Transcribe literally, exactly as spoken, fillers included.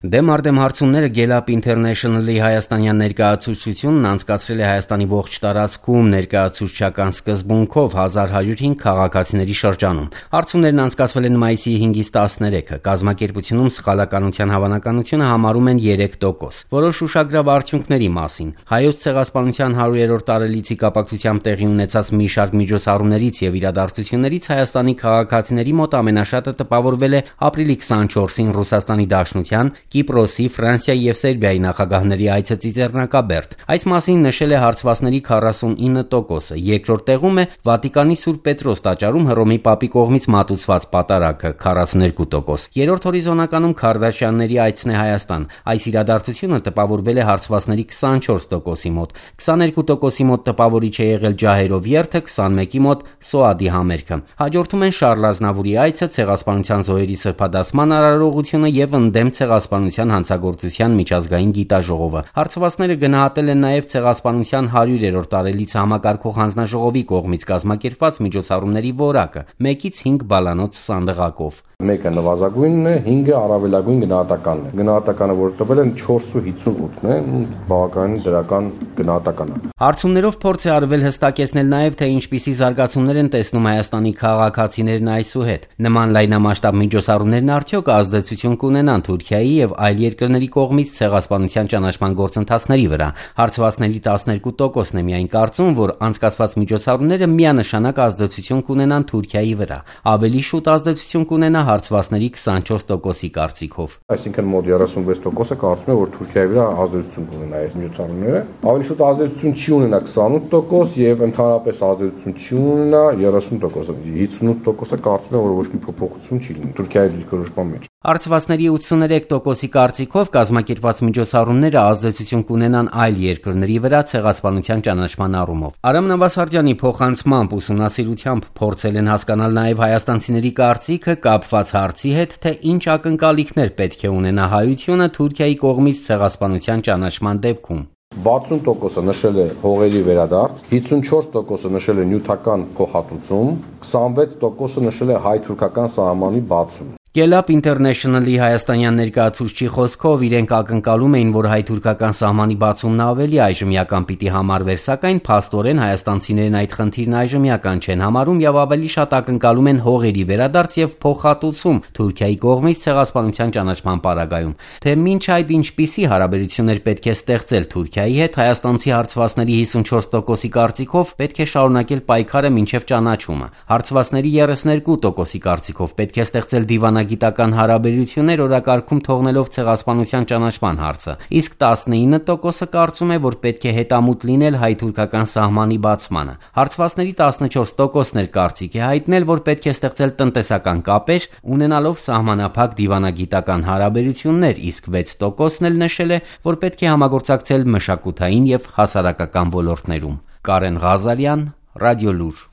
Դեմ առ դեմ հարցումները Gallup International-ի հայաստանյան ներկայացուցչությունն անցկացրել է Հայաստանի ողջ տարածքում ներկայացուցչական սկզբունքով հազար հարյուր հինգ քաղաքացիների շրջանում։ Հարցումներն անցկացվել են մայիսի հինգից տասներեքը։ Կազմակերպությունում սխալականության հավանականությունը համարում են երեք տոկոս։ Որոշ ուշագրավ արդյունքների մասին։ Հայոց ցեղասպանության հարյուրերորդ տարելիցի կապակցությամբ տեղի ունեցած մի շարք միջոցառումներից եւ իրադարձություններից Հայաստանի քաղաքացիների մոտ ամենաշատը տպավորվել է ապրիլի քսանչորսին Ռուսաստանի Դաշնության, Կիպրոսի, Ֆրանսիայի եւ Սերբիայի նախագահների այցը Ծիծեռնակաբերդ։ Այս մասին նշել է հարցվածների քառասունինը տոկոսը։ Երկրորդ տեղում է Վատիկանի Սուրբ Պետրոս տաճարում Հռոմի Պապի կողմից մատուցված պատարագը քառասուներկու տոկոս։ Երրորդ հորիզոնականում Քարդաշյանների այցն է Հայաստան։ Այս իրադարձությունը տպավորվել է հարցվածների քսանչորս տոկոսի մոտ։ քսաներկու տոկոսի մոտ տպավորիչ է եղել ջահերով երթը, քսանմեկի մոտ Սոադի համերգը։ Հաջորդում են Շառլ Ազնավուրի այցը, ցեղասպանության զոհերի սրբադասման արարողությունը եւ ընդդեմ ցեղասպանության հանցագործության միջազգային գիտաժողովը։ Հարցվածները գնահատել են նաեւ ցեղասպանության հարյուրերորդ տարելիցը համակարգող հանձնաժողովի կողմից կազմակերպված միջոցառումների որակը՝ մեկից հինգ բալանոց սանդղակով։ Մեկը նվազագույնն է, հինգը առավելագույն գնահատականն է։ Գնահատականը, որ տվել են չորսը հիսունութն է, բավականին դրական գնահատական է։ Հարցումներով փորձ է արվել հստակեցնել նաև, թե ինչպիսի զարգացումներ են տեսնում Հայաստանի քաղաքացիներն այսուհետ։ Նման լայնամասշտաբ միջոցառումներն արդյոք ազդեցություն կունենան Թուրքիայի եւ այլ երկրների կողմից ցեղասպանության ճանաչման գործընթացների վրա։ Հարցվածների տասներկու տոկոսն է միայն կարծում, որ անցկացված միջոցառումները միանշանակ ազդեցություն կունենան Թուրքիայի վրա։ Ավելի շուտ ազդեցություն կունենա հարցվածների քսանչորս տոկոսի կարծիքով։ Այսինքն մոտ երեսունվեց տոկոսը կարծում է, որ Թուրքիայի վրա ազդեցություն կունենա այս միջոցառումները։ Ավելի շուտ ազդեցություն չի ունենա քսանութ տոկոս եւ ընդհանրապես ազդեցություն չի ունենա երեսուն տոկոս։ հիսունութ տոկոսը կարծում է, որ ոչ մի փոփոխություն չի լինի Թուրքիայի դիրքորոշման մեջ։ Հարցվածների ութսուներեք տոկոսի կարծիքով կազմակերպված միջոցառումները ազդեցություն կունենան այլ երկրների վրա ցեղասպանության ճանաչման առումով։ Արամ Նավասարդյանի փոխանցմամբ ուսումնասիրությամբ փորձել են հասկանալ նաև հայաստանցիների կարծիքը կապված հարցի հետ, թե ինչ ակնկալիքներ պետք է ունենա հայությունը Թուրքիայի կողմից ցեղասպանության ճանաչման դեպքում։ վաթսուն տոկոսը նշել է հողերի վերադարձ, հիսունչորս տոկոսը նշել է նյութական փոխհատուցում, քսանվեց տոկոսը նշել է հայ-թուրքական սահմանի բացում։ Gallup International-ի հայաստանյան ներկայացուցչի խոսքով իրենք ակնկալում էին, որ հայ-թուրքական սահմանի բացումն ավելի այժմյական պիտի համարվեր, սակայն փաստորեն հայաստանցիներն այդ խնդիրն այժմյական չեն համարում եւ ավելի շատ ակնկալում են հողերի վերադարձ եւ փոխհատուցում Թուրքիայի կողմից ցեղասպանության ճանաչման պարագայում։ Թե մինչ այդ ինչպիսի հարաբերություններ պետք է ստեղծել Թուրքիայի հետ, հայաստանցի հարցվածների հիսունչորս տոկոսի կարծիքով պետք է շարունակել պայքարը մինչեւ ճանաչումը։ Հարցվածների երեսներկու տոկոսի կարծիքով պետք է ստեղծել դիվանագիտական հարաբերություններ օրակարգում թողնելով ցեղասպանության ճանաչման հարցը, իսկ տասնինը տոկոսը կարծում է, որ պետք է հետամուտ լինել հայ-թուրքական սահմանի բացմանը։ Հարցվածների տասնչորս տոկոսն էլ կարծիք է հայտնել, որ պետք է ստեղծել տնտեսական կապեր, ունենալով սահմանափակ դիվանագիտական հարաբերություններ, իսկ վեց տոկոսն էլ նշել է, որ պետք է համագործակցել մշակութային եւ հասարակական ոլորտներում։ Կարեն Ղազարյան, Ռադիոլուր։